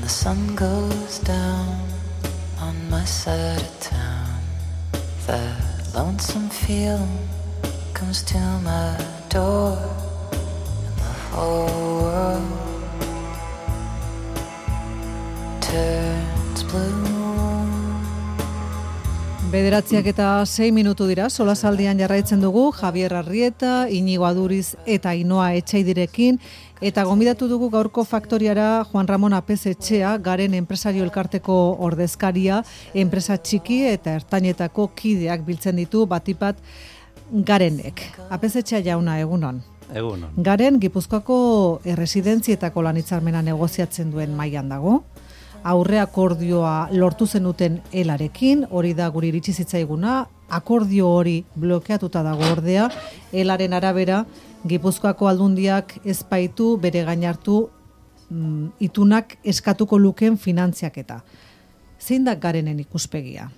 sun goes down on my side of town. That lonesome feeling comes to my door, and the whole world turns blue. 9:06 dira, solasaldian jarraitzen dugu Javier Arrieta, Iñigo Aduriz eta Ainhoa Etxeidirekin, eta gonbidatu dugu gaurko faktoriara Juan Ramon Apezetxea, Garen enpresario elkarteko ordezkaria, enpresa txiki eta ertainetako kideak biltzen ditu batipat Garenek. Apezetxea jauna, egunon. Egunon. Garen Gipuzkoako erresidentzietako lan-hitzarmena negoziatzen duen mailan dago. Aurre akordioa lortu zenuten elarekin, hori da guri iritsi zitzaiguna, akordio hori blokeatuta dago ordea, elaren arabera Gipuzkoako aldundiak ez baitu bere gain hartu itunak eskatuko luken finantziaketa. Zein da Garenen ikuspegia?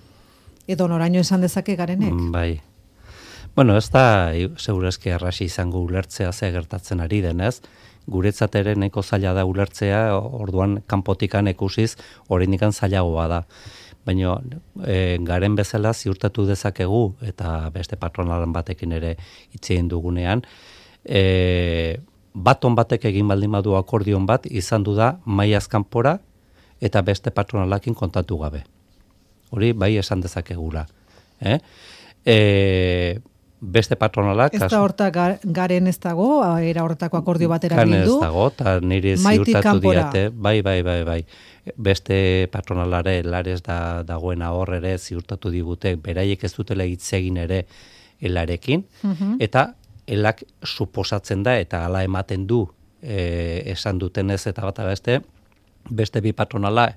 Edo noraino esan dezake Garenek? Bai. Bueno, ez da segurazki errasi izango ulertzea ze gertatzen ari denez, guretzat ere nahiko zaila da ulertzea, orduan kanpotikan ikusiz oraindikan zailagoa da. Baina Garen bezala ziurtatu dezakegu, eta beste patronalan batekin ere hitz egin dugunean, baton batek egin baldin badu akordion bat, izan du da mailaz kanpora eta beste patronalakin kontatu gabe. Hori bai esan dezakegula. Beste patronalak... Ez da horta Garen ez dago, era horretako akordio batera bildu. Ez dago, eta nire ziurtatu diate, bai. Beste patronalare lares dagoena hor ere ziurtatu digute, beraiek ez dutela hitz egin ere elarekin, eta elak suposatzen da, eta hala ematen du esan dutenez eta bata beste bi patronala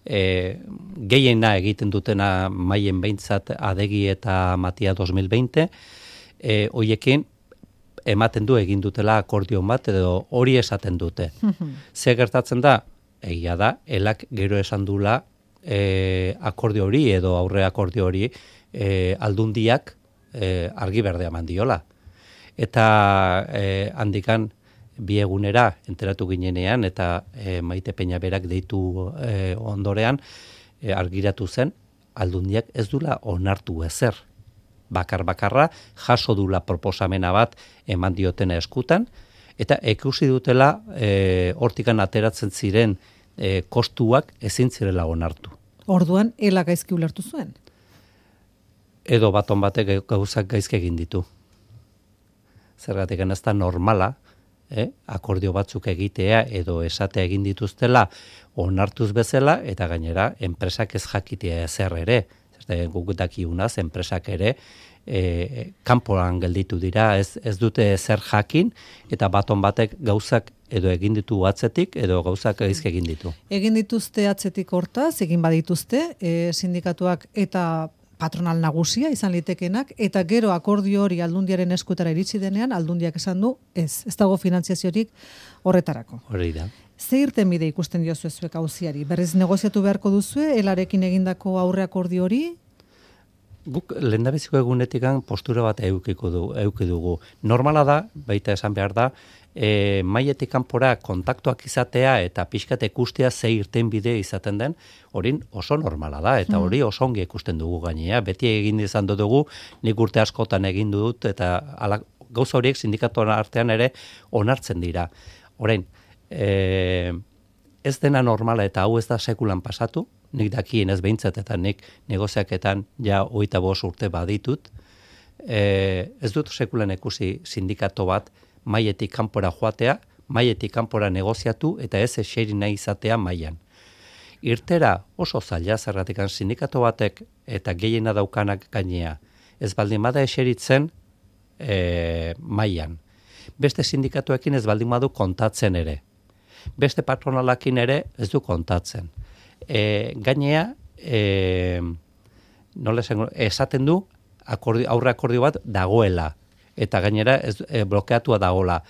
gehiena egiten dutena maien behintzat Adegi eta Matia 2020, hoiekin ematen du egin dutela akordion bat edo hori esaten dute. Ze gertatzen da? Egia da, elak gero esan dula akordio hori edo aurre akordio hori aldundiak argi berdea mandiola. Eta handikan bi egunera enteratu ginenean eta Maite Peña berak deitu ondorean argiratu zen aldundiak ez dula onartu ezer. Bakarra jaso dula proposamena bat eman diotena eskutan, eta ikusi dutela hortikan ateratzen ziren kostuak ezin zirela onartu. Orduan, ela gaizki ulertu zuen? Edo baton batek gauzak gaizki egin ditu. Zergatik ez da normala, akordio batzuk egitea edo esatea egin dituztela onartuz bezala, eta gainera enpresak ez jakitea ezer ere. Guk dakigunaz, enpresak ere kanpoan gelditu dira, ez dute zer jakin, eta baton batek gauzak edo egin ditu atzetik, edo gauzak gaizki egin ditu. Egin dituzte atzetik hortaz, egin badituzte, sindikatuak eta patronal nagusia izan litekenak, eta gero akordio hori aldundiaren eskutara iritsi denean, aldundiak esan du, ez dago finantziaziorik horretarako. Hori da. Ze irtenbide ikusten diozu zuek auziari? Berriz negoziatu beharko duzue, elarekin egindako aurre akordio hori? Guk lehendabiziko egunetikan postura bat eduki dugu. Normala da, baita esan behar da, mailetik kanpora kontaktuak izatea eta pixkat ikustea ze irtenbide izaten den, hori oso normala da, eta hori oso ongi ikusten dugu gainea. Beti egin izan dugu, nik urte askotan egin dut, eta gauza horiek sindikatuan artean ere onartzen dira. Orain, ez dena normala eta hau ez da sekulan pasatu, nik dakien ez behintzat eta nik negoziaketan ja 25 urte baditut, ez dut sekulan ikusi sindikato bat mailetik kanpora joatea, mailetik kanpora negoziatu eta ez eseri nahi izatea mailan. Irtera oso zaila zergatikan sindikato batek eta gehiena daukanak gainea, ez baldin bada eseritzen mailan. Beste sindikatuekin ez baldin badu kontatzen ere. Beste patronalakin ere ez du kontatzen. Gainea, esaten du aurre akordio bat dagoela, eta gainera blokeatua dagoela.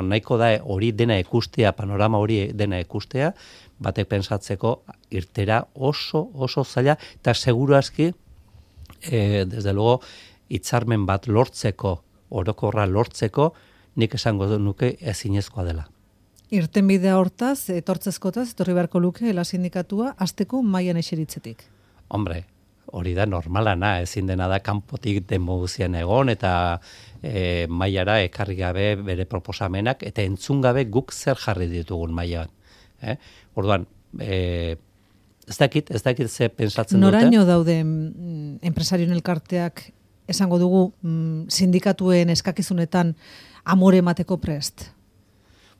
Nahiko da hori dena ikustea, panorama hori dena ikustea, batek pensatzeko irtera oso zaila, eta seguru aski, desde luego, hitzarmen bat lortzeko, orokorra lortzeko, nik esango nuke ezinezkoa dela. Irtenbidea hortaz, etortzezkotaz, etorri beharko luke, la sindikatua, azteko mailan eseritzetik. Hombre, hori da normalana, ezin dena da kanpotik demoguzien egon, eta mailara ekarri gabe bere proposamenak, eta entzun gabe guk zer jarri ditugun mailan. Orduan, ez dakit ze pensatzen dute. Noraino daude enpresarioen elkarteak esango dugu sindikatuen eskakizunetan amore emateko prest?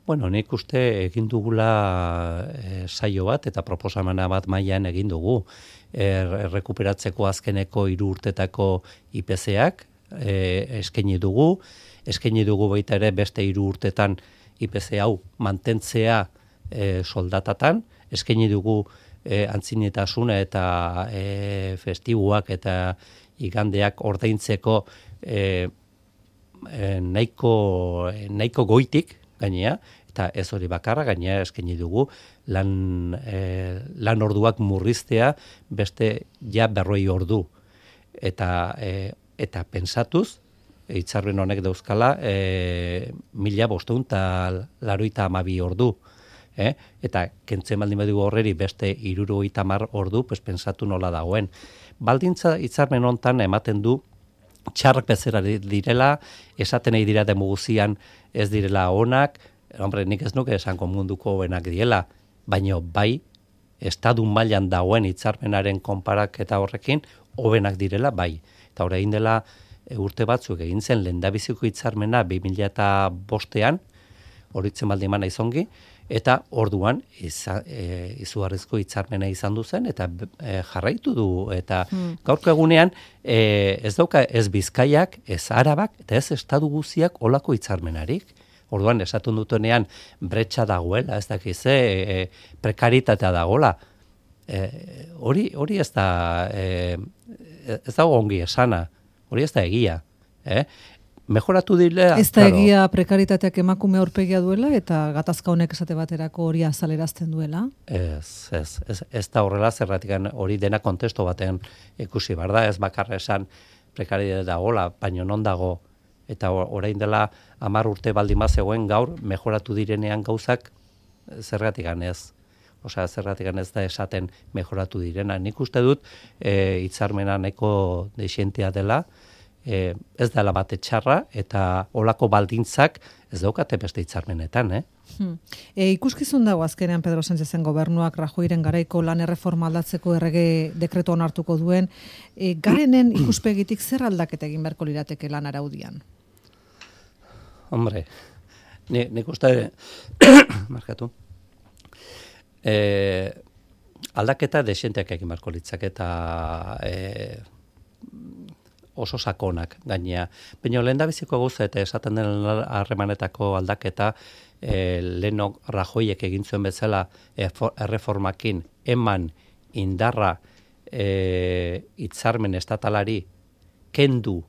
Bueno, nik uste egin dugula saio bat eta proposamena bat mailan egin dugu. Errekuperatzeko azkeneko 3 urtetako IPC-ak eskaini dugu baita ere beste 3 urtetan IPC hau mantentzea soldatatan, eskaini dugu antzinetasuna eta festibuak eta igandeak ordaintzeko nahiko goitik gainea, eta ez hori bakarra gainea eskaini dugu lan orduak murriztea beste ja 40 ordu. Eta pensatuz, hitzarmen honek dauzkala 1582 ordu. Eta kentzen baldin badu horreri beste 70 ordu, pues pensatu nola dagoen. Baldintza hitzarmen hontan ematen du txarrak bezera direla, esaten nahi dira demoguzian ez direla onak, hombre, nik ez nuke esango munduko hobenak diela, baina bai, estadu mailan dagoen hitzarmenaren konparaketa horrekin, hobenak direla, bai. Eta orain dela urte batzuk egin zen lehendabiziko hitzarmena 2005ean, horitzen baldin mana izongi, eta orduan izugarrizko hitzarmena izan du zen, eta jarraitu du, eta gaurko egunean ez dauka ez Bizkaiak, ez Arabak, eta ez estadu guziak olako hitzarmenarik. Orduan esatun dutenean bretxa dagoela, ez dakiz, prekaritatea dagoela. Hori ez dago ongi esana, hori ez da egia. Mejoratu dile... Ez da egia prekaritateak emakume aurpegia duela eta gatazka honek esate baterako hori azalerazten duela? Ez da horrela zerratik hori dena kontesto baten ikusi behar da, ez bakarra esan prekaritatea dagoela, baino non dago, eta orain dela 10 urte baldin bazegoen gaur, mejoratu direnean gauzak zergatik ez. Osea, zergatik ez da esaten mejoratu direna. Nik uste dut hitzarmena nahiko desientea dela, ez dela bate txarra, eta olako baldintzak ez daukate beste hitzarmenetan, Ikuskizun dago azkenean Pedro Sánchezen gobernuak Rajoyren garaiko lan erreforma aldatzeko errege dekretu onartuko duen. Garenen ikuspegitik zer aldaketa egin beharko lirateke lan araudian? Hombre, nik uste markatu. Aldaketa desienteak egin beharko litzak eta oso sakonak gainea. Baina lehendabiziko gauza eta esaten den harremanetako aldaketa lehenok Rajoyek egin zuen bezala erreformakin eman indarra hitzarmen estatalari kendu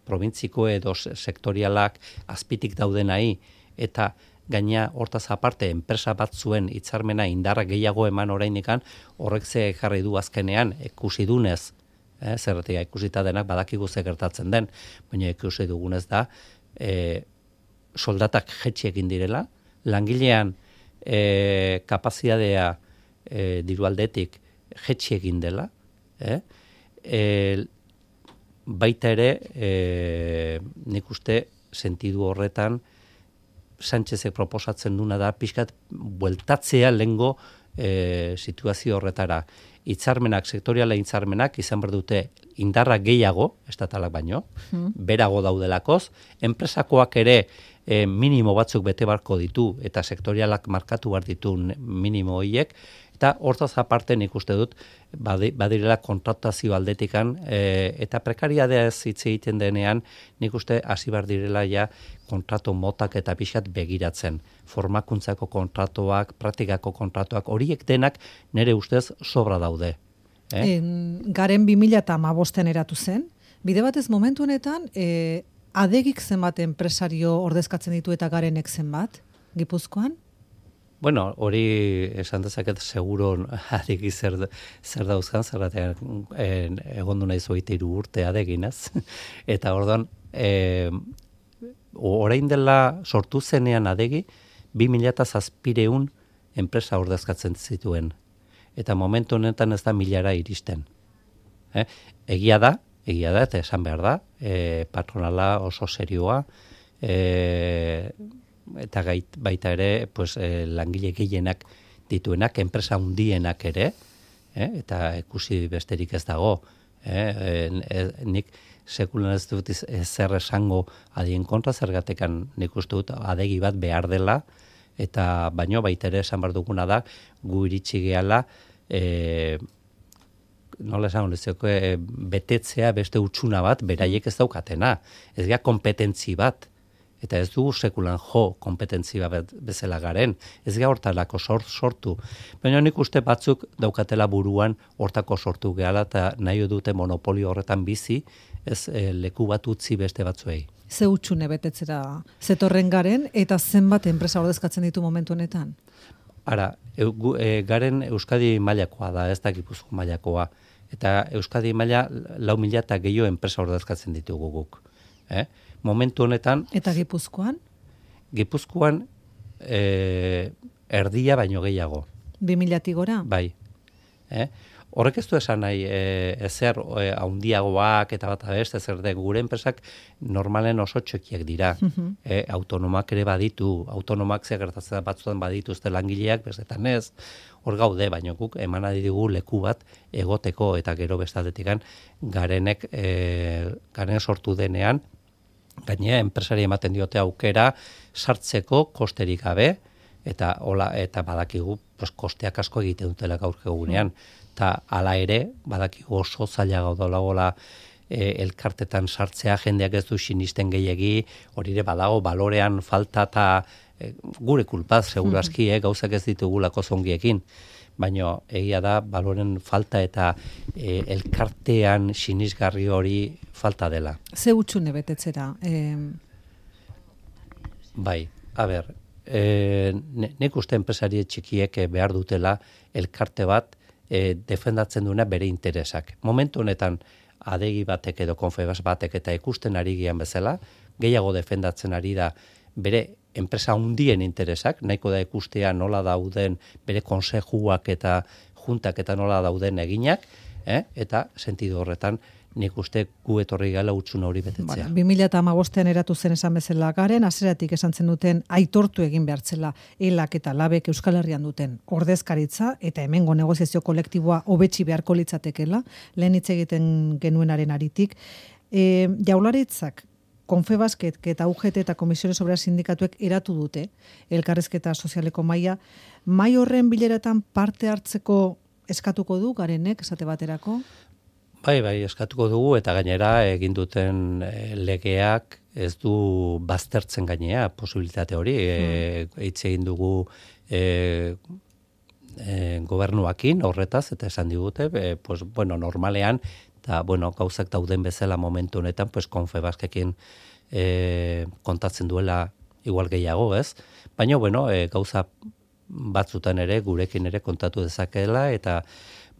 probintziko edo sektorialak azpitik daudenai eta gaina hortaz aparte enpresa batzuen hitzarmena indarra gehiago eman orainikan horrek ze jarri du azkenean ikusi dunez. Zerratik ikusita denak badakigu ze gertatzen den, baina ikusi dugunez da soldatak jetxi egin direla, langilean kapazitatea diru aldetik jetxi egin dela, baita ere nik uste sentidu horretan Sánchezek proposatzen duna da pixkat bueltatzea lehengo situazio horretara. Hitzarmenak, sektoriala hitzarmenak izan behar dute indarra gehiago, estatalak baino, berago daudelakoz, enpresakoak ere minimo batzuk bete barko ditu eta sektorialak markatu behar ditu minimo horiek, eta hortaz aparte nik uste dut badirela kontratazio aldetikan eta prekariadea ez hitz egiten denean nik uste hasi behar direla ja kontratu motak eta pixkat begiratzen. Formakuntzako kontratuak, praktikako kontratuak, horiek denak nire ustez sobra daude. Garen 2015 eratu zen, bide batez momentu honetan adegik zenbat enpresario ordezkatzen ditu eta Garenek zenbat, Gipuzkoan? Bueno, hori esan dezaket seguro adegi zer dauzkan, zerratean egondu nahi 23 urte adegin, ez? Eta orduan, orain dela sortu zenean adegi, 2.700 enpresa ordezkatzen zituen. Eta momentu honetan ez da 1.000 iristen. Egia da, eta esan behar da, patronala oso serioa, eta baita ere pues, langile gehienak dituenak, enpresa hundienak ere, eta ikusi besterik ez dago. Nik sekulan ez dut zer esango adien kontra, zergatekan nik uste dut adegi bat behar dela, eta baino baita ere esan behar duguna da, gu iritsi gehala, nola esan betetzea beste utxuna bat, beraiek ez daukatena. Ez gara kompetentzi bat, eta ez dugu sekulan kompetentzi bat bezala garen. Ez gara hortalako sortu. Baina nik uste batzuk daukatela buruan hortako sortu gehala, eta nahi dute monopolio horretan bizi, ez leku bat utzi beste batzuei. Ze utxune betetzera zetorren garen, eta zenbat enpresa ordezkatzen ditu momentu honetan? Ara, garen Euskadi mailakoa da, ez da Gipuzko mailakoa. Eta Euskadi maila 4.000 eta gehiago enpresa ordezkatzen ditugu guk. Momentu honetan... Eta Gipuzkoan? Gipuzkoan erdia baino gehiago. 2.000 gora? Bai. Horrek ez du esan nahi ezer haundiagoak eta bat abeste, ezer de gure enpresak normalen oso txekiak dira. Autonomak ere baditu, autonomak zer gertatzen batzutan badituzte langileak, bestetan ez, hor gaude, baina guk eman adigu leku bat egoteko eta gero bestaldetikan garen sortu denean, gainera enpresari ematen diote aukera sartzeko kosterik gabe, eta badakigu kosteak asko egiten dutela gaur egunean. Eta hala ere, badakigu oso zaila gaudolagola elkartetan sartzea, jendeak ez du sinisten gehiegi, hori ere badago balorean falta eta gure kulpaz, segurazki, gauzak ez ditugulako zongiekin. Baina egia da, baloren falta eta elkartean sinisgarri hori falta dela. Ze utxune betetzera? Bai, a ber, nik uste enpresari txikiek behar dutela elkarte bat defendatzen duena bere interesak. Momentu honetan adegi batek edo Confebask batek eta ikusten ari gian bezala, gehiago defendatzen ari da bere enpresa hundien interesak, nahiko da ikustea nola dauden bere konsejuak eta juntak eta nola dauden eginak, eta sentidu horretan nik uste gu etorri gala utxuna hori betetzea. 2015an eratu zen esan bezala garen, hasieratik esan zen duten aitortu egin behartzela elak eta labek Euskal Herrian duten ordezkaritza eta hemengo negoziazio kolektiboa hobetsi beharko litzatekela, lehen hitz egiten genuenaren aritik. Jaurlaritzak, Confebasket eta UGT eta Komisiones Obreras Sindikatuek eratu dute elkarrizketa sozialeko maila. Mahai horren bileratan parte hartzeko eskatuko du garenek esate baterako? Bai, eskatuko dugu eta gainera egin duten legeak ez du baztertzen gainea posibilitate hori. Hitz egin dugu gobernuakin horretaz eta esan digute, normalean, eta gauzak dauden bezala momentu honetan, Confebaskekin kontatzen duela igual gehiago, ez? Baina, gauza batzutan ere, gurekin ere kontatu dezakeela, eta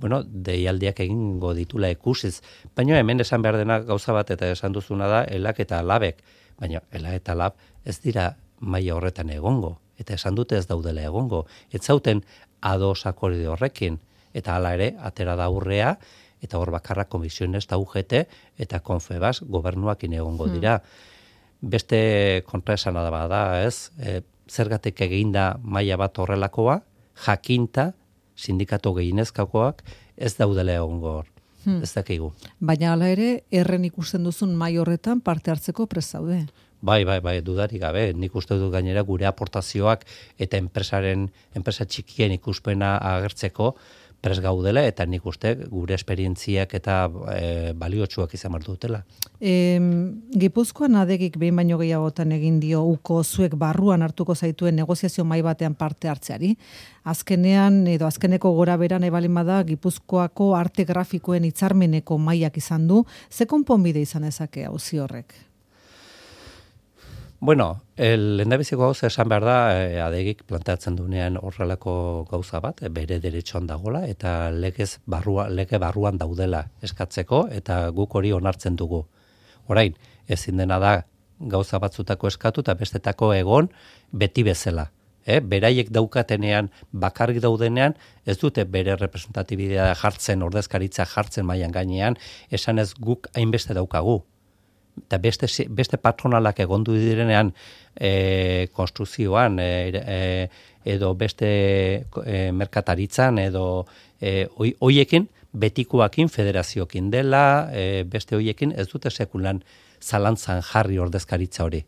deialdiak egingo ditula ikusiz. Baina hemen esan behar dena gauza bat eta esan duzuna da elak eta labek. Baina elak eta lab ez dira maila horretan egongo. Eta esan dute ez daudela egongo. Ez zauten ados akordio horrekin. Eta hala ere, atera da aurrea, eta hor bakarra Komisiones eta UGT eta Confebask gobernuakin egongo dira. Beste kontraesana da bada, ez? Zergatik eginda maila bat horrelakoa, jakinta, sindikatu gehienezkakoak ez daudela egongo hor. Ez dakigu. Baina hala ere, erren ikusten duzun mai horretan parte hartzeko prest zaude. Bai, dudarik gabe. Nik uste dut gainera gure aportazioak eta enpresa txikien ikuspena agertzeko prest gaudela, eta nik uste gure esperientziak eta baliotsuak izan behar dutela. Gipuzkoan adegik behin baino gehiagotan egin dio uko zuek barruan hartuko zaituen negoziazio mahai batean parte hartzeari. Azkenean edo azkeneko gora beran ebalin bada Gipuzkoako arte grafikoen hitzarmeneko mailak izan du. Ze konponbide izan ezake auzi horrek? Lehendabiziko gauza esan behar da, adegik planteatzen duenean horrelako gauza bat, bere deretxoan dagola, eta lege barruan daudela eskatzeko, eta guk hori onartzen dugu. Orain, ezin dena da gauza batzutako eskatu, eta bestetako egon beti bezala. beraiek daukatenean, bakarrik daudenean, ez dute bere representatibidea jartzen, ordezkaritza jartzen mailan gainean, esan ez guk hainbeste daukagu. Eta beste patronalak egondu direnean konstruzioan, edo beste merkataritzan, edo hoiekin, betikoakin, federaziokin dela, beste hoiekin ez dute sekulan zalantzan jarri ordezkaritza hori.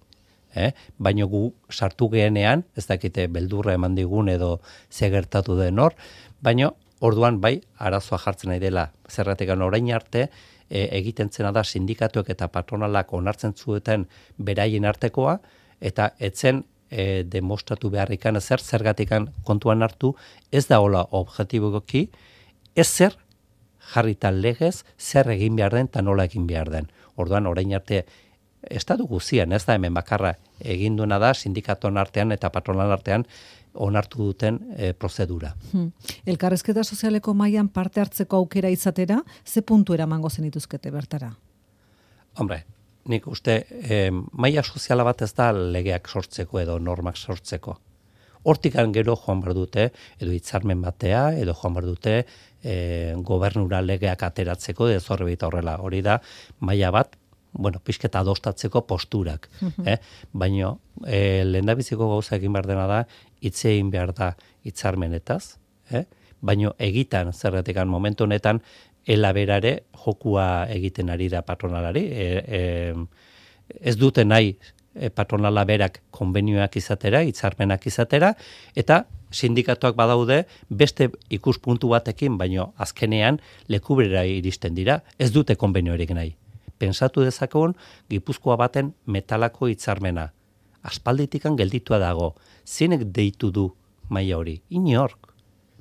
Baina gu sartu gehenean, ez dakite beldurra eman digun edo ze gertatu den hor, baina orduan bai arazoa jartzen nahi dela. Zergatik orain arte egiten zena da sindikatuek eta patronalak onartzen zuten beraien artekoa, eta etzen demostratu beharrikan zergatikan kontuan hartu, ez da hola objektiboki, ez zer jarrita legez zer egin behar den eta nola egin behar den. Orduan orain arte estatu guztian, ez da hemen bakarra egin duena da sindikatuen artean eta patronal artean onartu duten prozedura. Elkarrizketa sozialeko mailan parte hartzeko aukera izatera, ze puntu eramango zenituzkete bertara? Hombre, nik uste maila soziala bat ez da legeak sortzeko edo normak sortzeko. Hortikan gero joan behar dute, edo hitzarmen batea, edo joan behar dute gobernura legeak ateratzeko, edo zorrebita horrela. Hori da, maila bat, pixketa adostatzeko posturak. Baina lehendabiziko gauza egin behar dena da, hitz egin behar da hitzarmenetaz, baina egitan, zerretikan momentu honetan, elaberare jokua egiten ari da patronalari. Ez dute nahi patronala berak konbenioak izatera, hitzarmenak izatera, eta sindikatuak badaude beste ikuspuntu batekin, baina azkenean lekubera iristen dira, ez dute konbeniorik nahi. Pensatu dezakegun Gipuzkoa baten metalako hitzarmena. Aspalditikan gelditua dago. Zeinek deitu du maila hori? Inork.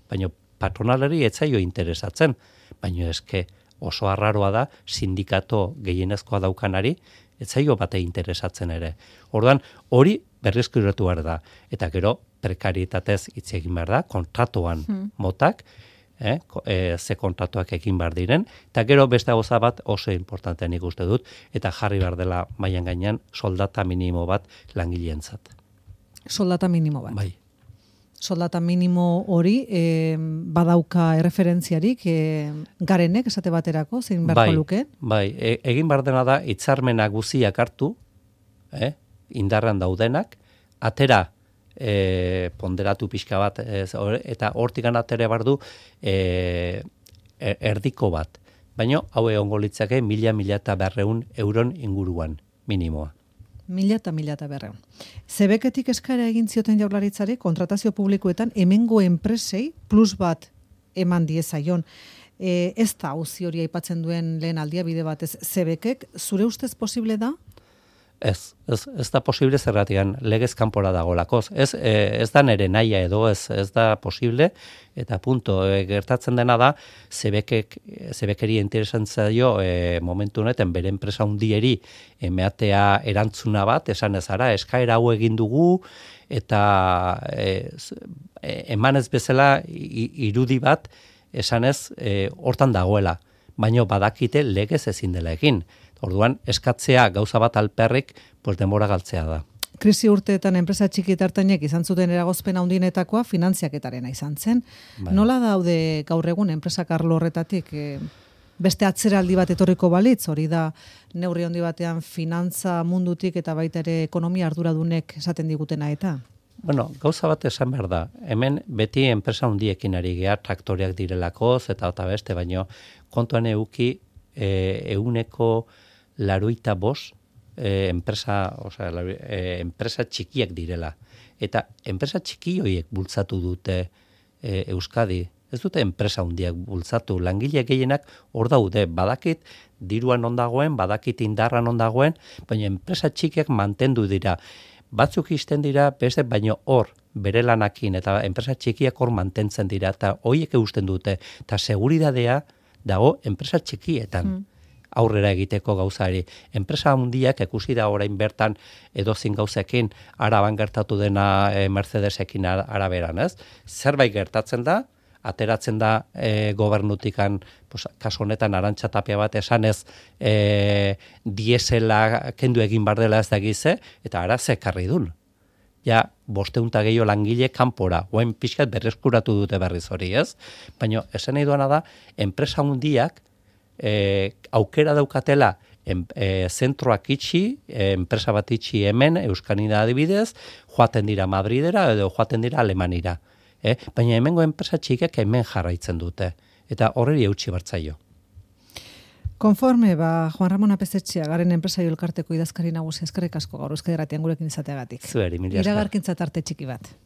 Baina patronalari ez zaio interesatzen. Baina eske oso arraroa da sindikato gehienezkoa daukanari ez zaio bate interesatzen ere. Orduan hori berreskuratu behar da. Eta gero prekarietatez hitz egin behar da, kontratuan motak, ze kontratuak egin behar diren, eta gero beste gauza bat oso importantea nik uste dut, eta jarri behar dela mailan gainean soldata minimo bat langileentzat. Soldata minimo bat? Bai. Soldata minimo hori badauka erreferentziarik garenek esate baterako, zein beharko luke? Bai, egin behar dena da hitzarmena guziak hartu, indarran daudenak, atera ponderatu pixka bat, eta hortikan atere behar du erdiko bat. Baina hau egongo litzake 1.000–1.200 euron inguruan minimoa. 1.000–1.200. Zebeketik eskaera egin zioten Jaurlaritzari kontratazio publikoetan hemengo enpresei plus bat eman diezaion. Ez da auzi hori aipatzen duen lehen aldia bide batez Zebekek, zure ustez posible da? Ez da posible zerratian legez kanpora dagolakoz. Ez da nere naia edo ez da posible, eta punto. Gertatzen dena da, Zebekeri interesan zaio momentu honetan bere enpresa hundieri emeatea erantzuna bat, esan ez ara, eskaera hau egin dugu, eta emanez bezala irudi bat, esan ez, hortan dagoela. Baina badakite legez ezin dela egin. Orduan, eskatzea gauza bat alperrik, denbora galtzea da. Krisi urteetan enpresa txiki eta ertainek izan zuten eragozpen handienetakoa finantziaketarena izan zen. Bai. Nola daude gaur egun enpresak arlo horretatik beste atzeraldi bat etorriko balitz, hori da neurri handi batean finantza mundutik eta baita ere ekonomia arduradunek esaten digutena eta? Gauza bat esan behar da. Hemen beti enpresa handiekin ari gea traktoriak direlakoz eta beste, baino kontuan euki euneko 85 enpresa txikiak direla. Eta enpresa txiki horiek bultzatu dute Euskadi. Ez dute enpresa handiak bultzatu. Langile gehienak hor daude. Badakit diruan ondagoen, badakit indarran ondagoen, baina enpresa txikiak mantendu dira. Batzuk izten dira, beste baino hor bere lanakin, eta enpresa txikiak hor mantentzen dira, eta horiek eusten dute. Eta seguridadea dago enpresa txikietan. Aurrera egiteko gauzari. Enpresa handiak ikusi da orain bertan edozin gauzekin Araban gertatu dena Mercedesekin Araberan, ez? Zerbait gertatzen da, ateratzen da gobernutikan, kasu honetan Arantxa Tapia bat esanez diesela kendu egin bar dela ez da gize, eta ara ze ekarri dun. ja 500 gehiago langile kanpora, oain pixkat berreskuratu dute berriz hori, ez? Baina esan nahi duana da, enpresa hundiak aukera daukatela zentroak itxi, enpresa bat itxi hemen, Euskanida adibidez, joaten dira Madridera edo joaten dira Alemanira. Baina hemengo enpresa txikek hemen jarraitzen dute. Eta horreri eutxi bartzaio. Konforme, Juan Ramon Apezetxea, garen enpresaio elkarteko idazkari nagusia, eskerrik asko gaur Euskadi Irratian gurekin izateagatik. Zueri, mila esker. Iragarkintza tarte txiki bat.